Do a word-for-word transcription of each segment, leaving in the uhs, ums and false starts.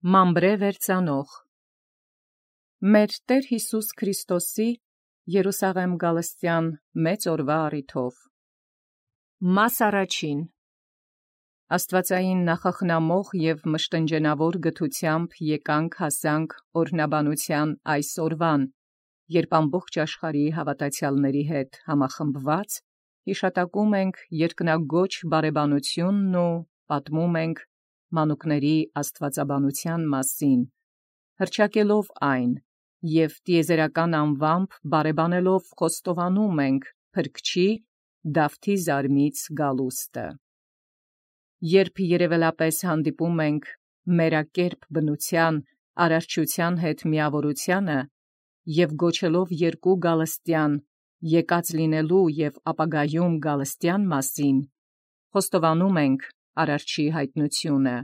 Մամբրե վերծանող Մեր Տեր Յիսուս Քրիստոսի Երուսաղեմ գալստյան մեծ օրվա առիթով Մաս առաջին Աստվածային նախախնամող և մշտնջենավոր գթությամբ եկանք հասանք օրհնաբանության այս օրվան, երբ ամբողջ աշխարհի հավատացյալների հետ համախմբված հիշատակում ենք երկնագոչ բարեբանությունն ու պատմում ենք մանուկների աստվածաբանության մասին, հռչակելով այն, և տիեզերական անվամբ բարեբանելով խոստովանում ենք Փրկչի Դավթի զարմից գալուստը։ Երբ երևելապես հանդիպում ենք մերակերպ բնության արարչության հետ միավորությանը և գոչելով երկու գալստյան եկած լինելու և ապագայում գալստյան մասին, խոստովանում ենք արարչի հայտնությունը,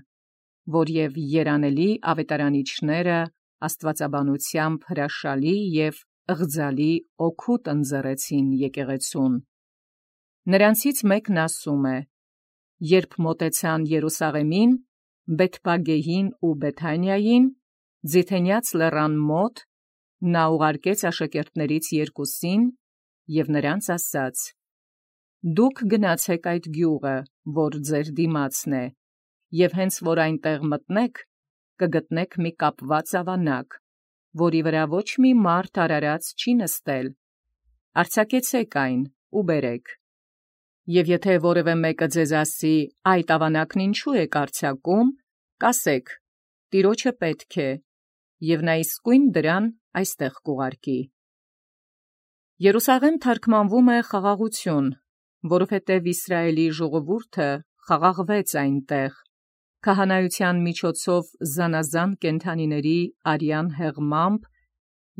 որ և երանելի ավետարանիչները աստվածաբանությամբ հրաշալի և ըղձալի օգուտ ընձեռեցին եկեղեցուն։ Նրանցից մեկն ասում է. երբ մոտեցան Երուսաղեմին, Բեթփագեհին ու Բեթանիային, Ձիթենյաց լեռան մոտ, նա ուղարկեց աշակերտներից երկուսին և նրանց ասաց. «Դուք գնացեք այդ գյուղը, որ ձեր դիմացն է, և հենց որ այնտեղ մտնեք, կգտնեք մի կապված ավանակ, որի վրա ոչ մի մարդ արարած չի նստել. արձակեցեք այն ու բերեք։ Եվ եթե որևէ մեկը ձեզ ասի. «Այդ ավանակն ինչու եք արձակում», կասեք. «Տիրոջը պետք է, և նա իսկույն դրան այստեղ կուղարկի»։ Երուսաղեմ թարգմանվում է խաղաղություն, որովհետև Իսրայելի ժողովուրդը խաղաղվեց այնտեղ, քահանայության միջոցով զանազան կենդանիների արյան հեղմամբ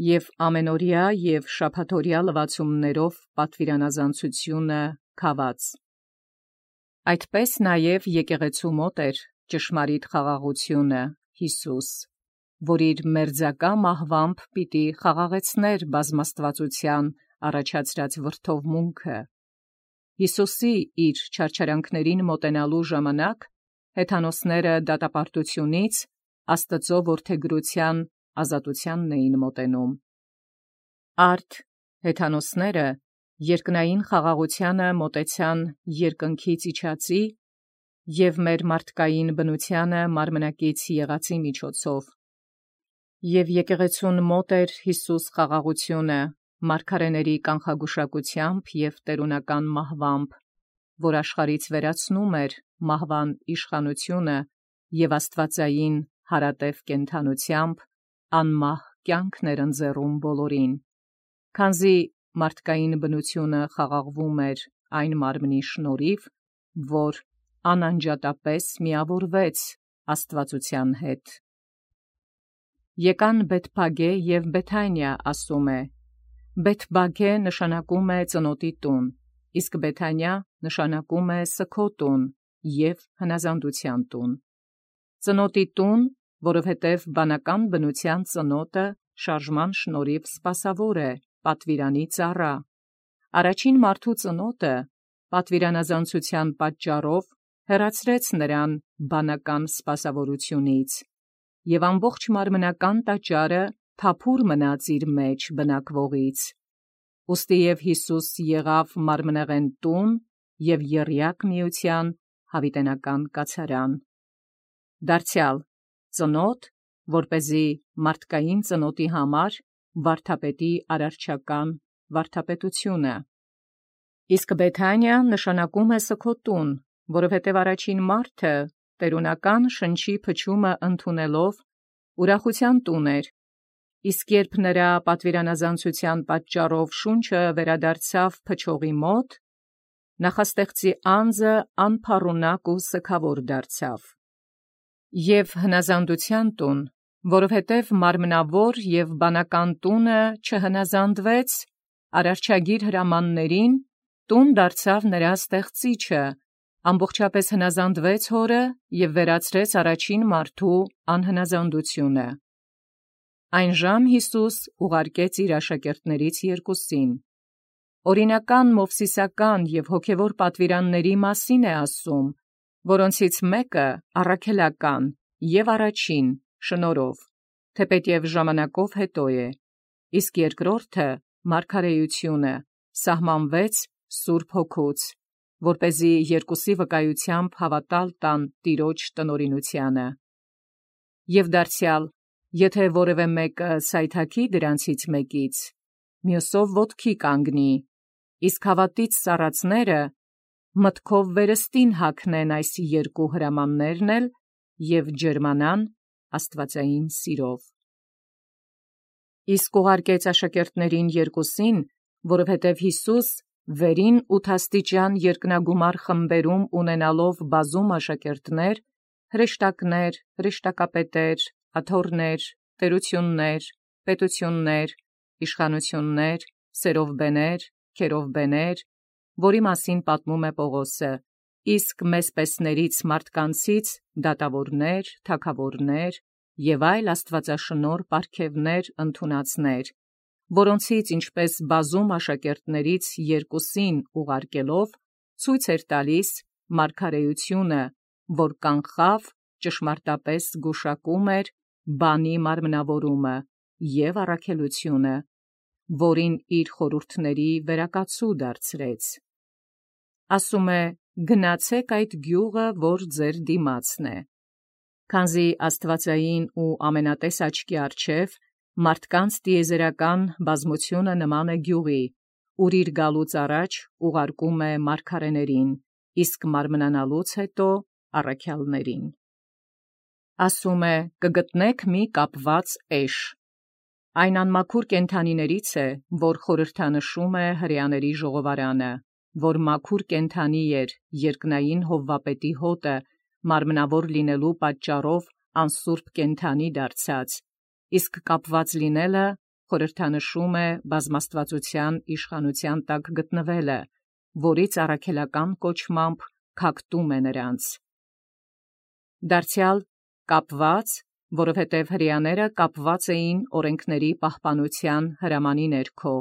և ամենօրյա և շաբաթօրյա լվացումներով պատվիրանազանցությունը քաված։ Այդպես նաև եկեղեցու մոտ էր ճշմարիտ խաղաղությունը Յիսուս, որ իր մերձակա մահվամբ պիտի խաղաղեցներ բազմաստվածության առաջացրած վրդովմունքը։ Յիսուսի իր չարչարանքներին մոտենալու ժամանակ հեթանոսները դատապարտությունից Աստծո որդեգրության ազատությանն էին մոտենում։ Արդ հեթանոսները երկնային խաղաղությանը մոտեցան երկնքից իջածի և մեր մարդկային բնությանը մարմնակից եղածի միջոցով։ Եվ եկեղեցուն մոտ էր Յիսուս խաղաղությունը մարգարեների կանխագուշակությամբ և տերունական մահվամբ, որ աշխարհից վերացնում էր մահվան իշխանությունը և աստվածային հարատև կենդանությամբ անմահ կյանքն էր ընձեռում բոլորին, քանզի մարդկային բնությունը խաղաղվում էր այն մարմնի շնորհիվ, որ անանջատապես միավորվեց աստվածության հետ։ Եկան Բեթփագե և Բեթանիա, ասում է. Բեթփագե նշանակում է ծնոտի տուն, իսկ Բեթանիա նշանակում է սգո տուն և հնազանդության տուն։ Ծնոտի տուն, որովհետև բանական բնության ծնոտը շարժման շնորհիվ սպասավոր է, պատվիրանի ծառա։ Առաջին մարդու ծնոտը պատվիրանազանցության պատճառով հեռացրեց նրան բանական սպասավորությունից, և ամբողջ մարմնական տաճարը թափուր մնաց իր մեջ բնակվողից։ Ուստի և Յիսուս եղավ մարմնեղեն տուն և եռյակ միության հավիտենական կացարան։ Դարձյալ ծնոտ, որպեսզի մարդկային ծնոտի համար վարդապետի արարչական վարդապետությունը։ Իսկ Բեթանիա նշանակում է սգո տուն, որովհետև առաջին մարդը տերունական շնչի փչումը ընդունելով ուրախության տուն էր, իսկ երբ նրա պատվիրանազանցության պատճառով շունչը վերադարձավ փչողի մոտ, նախաստեղծի անձը անփառունակ ու սգավոր դարձավ։ Եւ հնազանդության տուն, որովհետև մարմնավոր և բանական տունը չհնազանդվեց, արարչագիր հրամաններին տուն դարձավ նրա ստեղծիչը, ամբողջապես հնազանդվեց հորը և վերացրեց առաջին մարդու անհնազանդությունը։ Այնժամ Յիսուս ուղարկեց իր աշակերտներից երկուսին։ Օրինական մովսիսական և հոգևոր պատվիրանների մասին է ասում, որոնցից մեկը առաքելական և առաջին շնորհով, թեպետև ժամանակով հետո է, իսկ երկրորդը մարգարեությունը սահմանվեց Սուրբ Հոգուց, որպեսզի երկուսի վկայությամբ հավատալ տան Տիրոջ տնօրինությանը։ Եվ դարձյալ, եթե որևէ մեկը սայթաքի դրանցից մեկից, մյուսով ոտքի կանգնի, իսկ հավատից սառածները մտքով վերստին հագնեն այս երկու հրամաններն էլ և ջերմանան աստվածային սիրով։ Իսկ ուղարկեց աշակերտներին երկուսին, որովհետև Յիսուս վերին ութաստիճան երկնագումար խմբերում ունենալով բազում աշակերտներ, հրեշտակներ, հրեշտակապետեր, աթոռներ, տերություններ, պետություններ, իշխանություններ, սերովբեներ, քերովբեներ, որի մասին պատմում է Պողոսը, իսկ մեսպեսներից մարդկանցից դատավորներ, թագավորներ և այլ աստվածաշնորհ պարգևներ ընդունածներ, որոնցից ինչպես բազում աշակերտներից երկուսին ուղարկելով, ցույց էր տալիս մարգարեությունը, որ կանխավ ճշմարտապես զգուշակում էր բանի մարմնավորումը և առաքելությունը, որին իր խորհուրդների վերակացու դարձրեց։ Ասում է. «Գնացեք այդ գյուղը, որ ձեր դիմացն է», քանզի աստվածային ու ամենատես աչքի առջև մարդկանց տիեզերական բազմությունը նման է գյուղի, ուր իր գալուց առաջ ուղարկում է մարգարեներին, իսկ մարմնանալուց հետո առաքյալներին։ Ասում է. «Կգտնեք մի կապված էշ»։ Այն անմաքուր կենդանիներից է, որ խորհրդանշում է հրեաների ժողովարանը, որ մաքուր կենդանի էր երկնային Հովվապետի հոտը, մարմնավոր լինելու պատճառով անսուրբ կենդանի դարձած, իսկ կապված լինելը խորհրդանշում է բազմաստվածության իշխանության տակ գտնվելը, որից առաքելական կոչմամբ քակտում է նրանց։ Դարձյալ կապված, որովհետև հրեաները կապված էին օրենքների պահպանության հրամանի ներքո,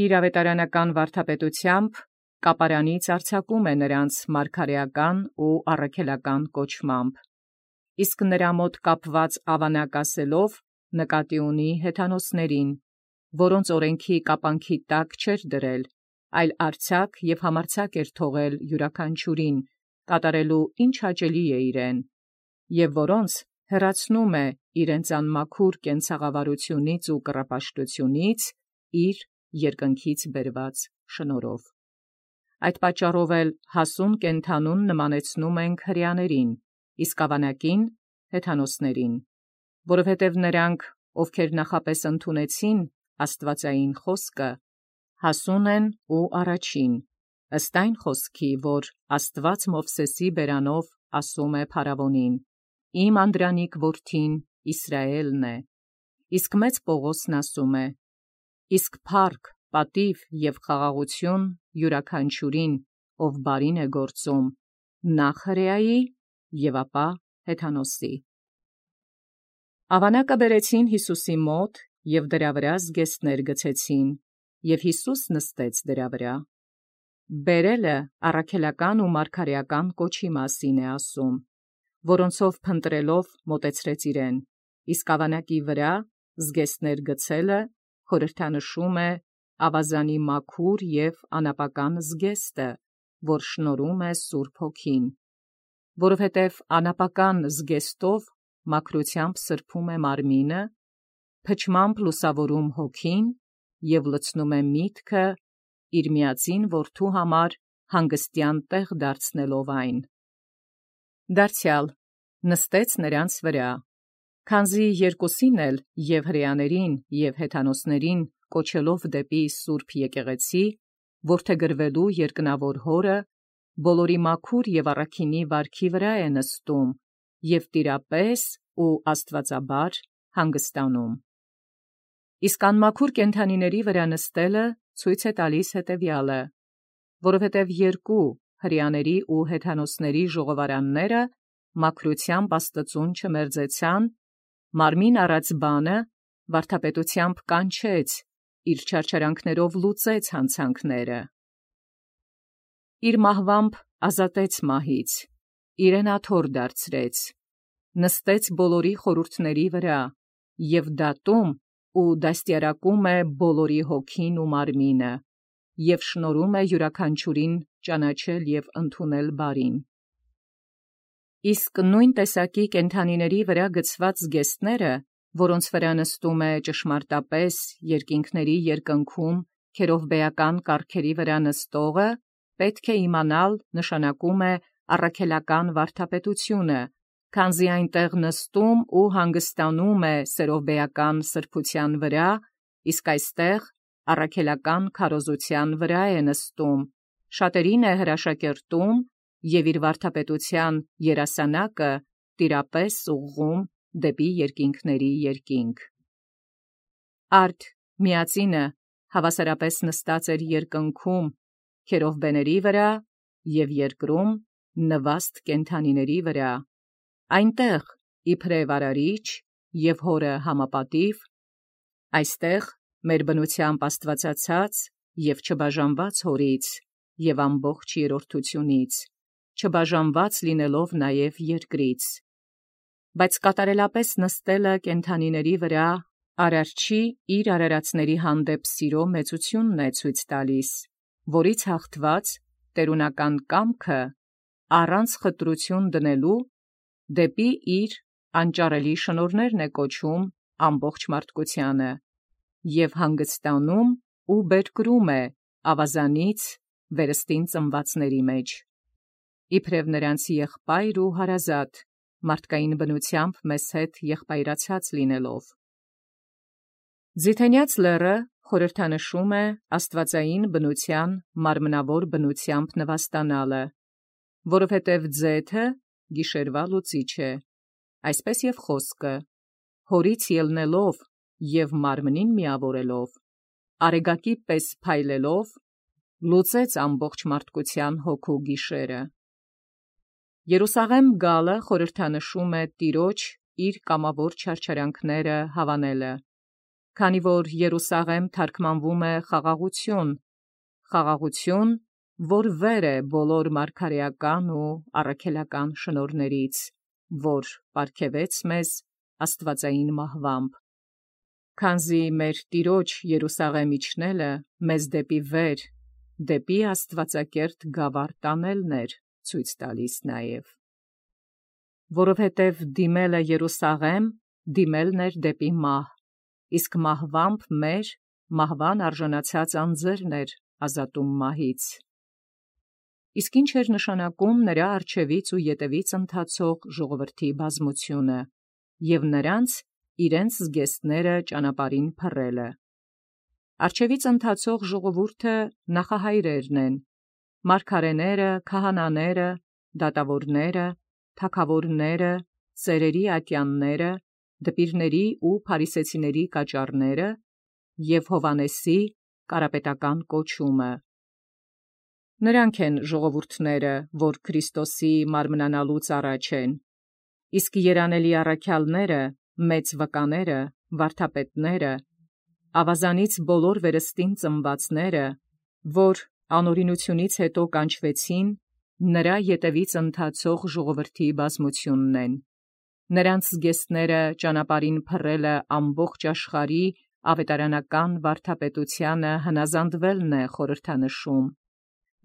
իր ավետարանական վարդապետությամբ կապարանից արձակում է նրանց մարգարեական ու առաքելական կոչմամբ, իսկ նրա մոտ կապված ավանակ ասելով նկատի ունի հեթանոսներին, որոնց օրենքի կապանքի տակ չէր դրել, այլ արձակ և համարձակ էր թողել յուրաքանչյուրին, կատարելու ինչ հաճելի է իրեն, և որոնց հեռացնում է իրենց անմաքուր կենցաղավարությունից ու կռապաշտությունից իր երկնքից բերված շնորհով։ Այդ պատճառով էլ հասուն կենդանուն նմանեցնում ենք հրեաներին, իսկ ավանակին հեթանոսներին, որովհետև նրանք, ովքեր նախապես ընդունեցին աստվածային խոսքը, հասուն են ու առաջին, ըստ այն խոսքի, որ Աստված Մովսեսի բերանով ասում է փարավոնին. «Իմ անդրանիկ որդին Իսրայելն է», իսկ մեծ Պողոսն ասում է. «Իսկ փառք, պատիվ և խաղաղություն յուրաքանչյուրին, ով բարին է գործում, նախ հրեայի և ապա հեթանոսի»։ Ավանակը բերեցին Յիսուսի մոտ և դրա վրա զգեստներ գցեցին, և Յիսուս նստեց դրա վրա։ Բերելը առաքելական ու մարգարեական կոչի մասին է ասում, որոնցով փնտրելով մոտեցրեց իրեն, իսկ ավանակի վրա զգեստներ գցելը խորհրդանշում է ավազանի մաքուր և անապական զգեստը, որ շնորհում է Սուրբ Հոգին, որովհետև անապական զգեստով մաքրությամբ սրբում է մարմինը, փչմամբ լուսավորում հոգին և լցնում է միտքը իր միածին որդու համար հանգստյան տեղ դարձնելով այն։ Դարձյալ նստեց նրանց վրա, քանզի երկուսին էլ և հրեաներին և հեթանոսներին կոչելով դեպի Սուրբ եկեղեցի, որդեգրվելու երկնավոր Հորը, բոլորի մաքուր և առաքինի վարքի վրա է նստում և տիրապես ու աստվածաբար հանգստանում։ Իսկ անմաքուր կենդանիների վրա նստելը ցույց է տալիս հետևյալը, որովհետև երկու հրեաների ու հեթանոսների ժողովարանները մաքրությամբ Աստծուն չմերձեցան, մարմին առած բանը վարդապետությամբ կանչեց, իր չարչարանքներով լուծեց հանցանքները։ Իր մահվամբ ազատեց մահից, իրեն աթոռ դարձրեց, նստեց բոլորի խորհուրդների վրա, և դատում ու դաստիարակում է բոլորի հոգին ու մարմինը, և շնորհում է յուրաքանչյուրին ճանաչել և ընդունել բարին։ Իսկ նույն տեսակի կենդանիների վրա գցված զգեստները, որոնց վրա նստում է ճշմարտապես երկինքների երկնքում քերովբեական կառքերի վրա նստողը, պետք է իմանալ նշանակում է առաքելական վարդապետությունը, քանզի այնտեղ նստում ու հանգստանում է սերովբեական սրբության վրա, իսկ այստեղ առաքելական քարոզության վրա է նստում, շատերին է հրաշակերտում և իր վարդապետության երասանակը տիրապես ուղղում դեպի երկինքների երկինք։ Արդ միածինը հավասարապես նստած էր երկնքում քերովբեների վրա և երկրում նվաստ կենդանիների վրա, այնտեղ իբրև արարիչ և հորը համապատիվ, այստեղ մեր բնությամբ աստվածացած և չբաժանված հորից և ամբողջ երրորդությունից, չբաժանված լինելով նաև երկրից, բայց կատարելապես նստելը կենդանիների վրա արարչի իր արարածների հանդեպ սիրո մեծությունն է ցույց տալիս, որից հաղթված տերունական կամքը առանց խտրություն դնելու դեպի իր անճարելի շնորհներն է կոչում ամբողջ մարդկությանը և հանգստանում ու բերկրում է ավազանից վերստին ծնվածների մեջ, իբրև նրանց եղբայր ու հարազատ, մարդկային բնությամբ մեզ հետ եղբայրացած լինելով։ Ձիթենյաց լեռը խորհրդանշում է աստվածային բնության մարմնավոր բնությամբ նվաստանալը, որովհետև ձեթը գիշերվա լուծիչ է, այսպես և խոսքը, հորից ելնելով և մարմնին միավորելով, արեգակի պես փայլելով, լուծեց ամբողջ մարդկության հոգու գիշերը։ Երուսաղեմ գալը խորհրդանշում է տիրոջ իր կամավոր չարչարանքները հավանելը, քանի որ Երուսաղեմ թարգմանվում է խաղաղություն, խաղաղություն, որ վեր է բոլոր մարգարեական ու առաքելական շնորհներից, որ պարգևեց մեզ աստվածային մահվամբ, քանզի մեր Տիրոջ Երուսաղեմ իջնելը մեզ դեպի վեր, դեպի աստվածակերտ գավառ տանելն էր ցույց տալիս նաև, որովհետև դիմելը Երուսաղեմ դիմելն էր դեպի մահ, իսկ մահվամբ մեր մահվան արժանացած անձերն էր ազատում մահից։ Իսկ ինչ էր նշանակում նրա առջևից ու ետևից ընթացող ժողովրդի բազմությունը և նրանց իրենց զգեստները ճանապարհին փռելը։ Առջևից ընթացող ժողովուրդը նախահայրերն են, մարգարեները, քահանաները, դատավորները, թագավորները, ծերերի ատյանները, դպիրների ու փարիսեցիների կաճառները և Հովհաննեսի կարապետական կոչումը։ Նրանք են ժողովուրդները, որ Քրիստոսի մարմնանալուց առաջ են, իսկ երանելի առաքյալները, մեծ վկաները, վարդապետները, ավազանից բոլոր վերստին ծնվածները, որ անօրինությունից հետո կանչվեցին, նրա ետևից ընթացող ժողովրդի բազմությունն են։ Նրանց զգեստները ճանապարհին փռելը ամբողջ աշխարհի ավետարանական վարդապետությանը հնազանդվելն է խորհրդանշում։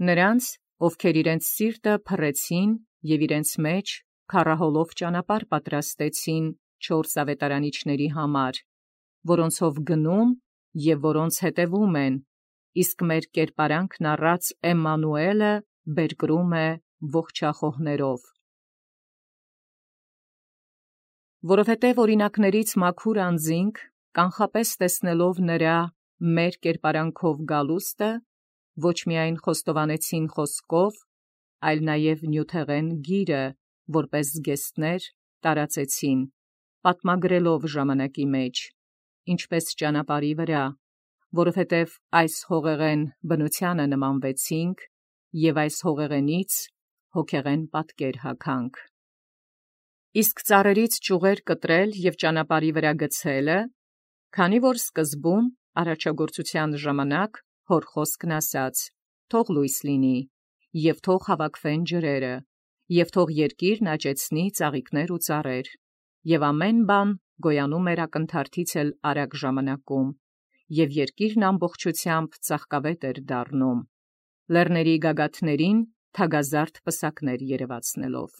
Նրանց, ովքեր իրենց սիրտը փռեցին և իրենց մեջ քառահոլով ճանապարհ պատրաստեցին չորս ավետարանիչների համար, որոնցով գնում և որոնց հետևում են, իսկ մեր կերպարանքն առած Էմմանուէլը բերկրում է ողջախոհներով։ Որովհետև օրինակներից մաքուր անձինք, կանխապես տեսնելով նրա մեր կերպարանքով գալուստը, ոչ միայն խոստովանեցին խոսքով, այլ նաև նյութեղեն գիրը, որպես զգեստներ տարածեցին, պատմագրելով ժամանակի մեջ, ինչպես ճանապարհի վրա, որովհետև այս հողեղեն բնությանը նմանվեցինք և այս հողեղենից հոգեղեն պատկեր հագանք։ Իսկ ծառերից ճյուղեր կտրել և ճանապարհի վրա գցելը, քանի որ սկզբում արարչագործության ժամանակ հոր խոսքն ասաց. «Թող լույս լինի, և թող հավաքվեն ջրերը, և թող երկիրն աճեցնի ծաղիկներ ու ծառեր, Եւ ամեն բան գոյանում էր ակնթարթից էլ արագ ժամանակում, եւ երկիրն ամբողջությամբ ծաղկավետ էր դառնում, լեռների գագաթներին թագազարդ պսակներ երևացնելով։